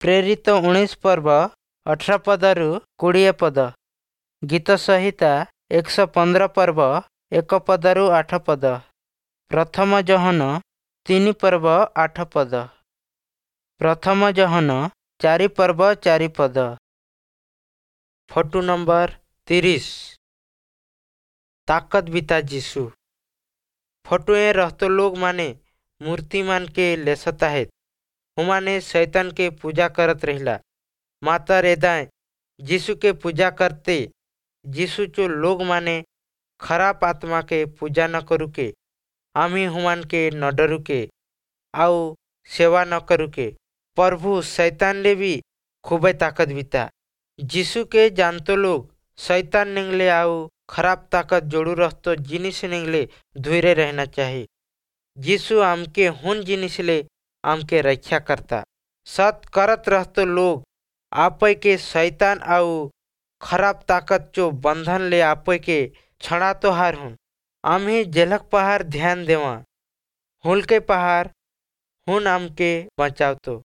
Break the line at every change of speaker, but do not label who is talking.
ପ୍ରେରିତ 19 ପର୍ବ 18 ପଦରୁ 20 ପଦ। ଗୀତ ସଂହିତା 115 ପର୍ବ 1 ପଦରୁ 8 ପଦ। ପ୍ରଥମ ଯୋହନ 3 ପର୍ବ 8 ପଦ। ପ୍ରଥମ ଯୋହନ 4 ପର୍ବ 4 ପଦ। ଫଟୋ ନମ୍ବର 30, ତାକତ ବିତା ଯୀଶୁ। ଫଟୋ ଏ रहतो लोग माने मूर्ति मान के लेसता है, हुमाने शैतान के पूजा करत रहिला। माता रेदाए यीशु के पूजा करते। यीशु चो लोग माने खराब आत्मा के पूजा न करू के, आमी हुमान के न डरू के आउ सेवा न करू के। प्रभु शैतान ले भी खूबे ताकत बिता। यीशु के जानतो लोग शैतान निंगले आउ खराब ताकत जोड़ू रहतो जिनिस निंगले धुरे रहना चाहिए। यीशु आमके हुन जिनिस ले आमके रक्षा करता। सत करत रहतो लोग आपे के शैतान आउ खराब ताकत चो बंधन ले आपे के छड़ा तो हार हुन। आम ही जेलक पहाड़ ध्यान देवा, हुल के पहाड़ हुन आमके बचावतो।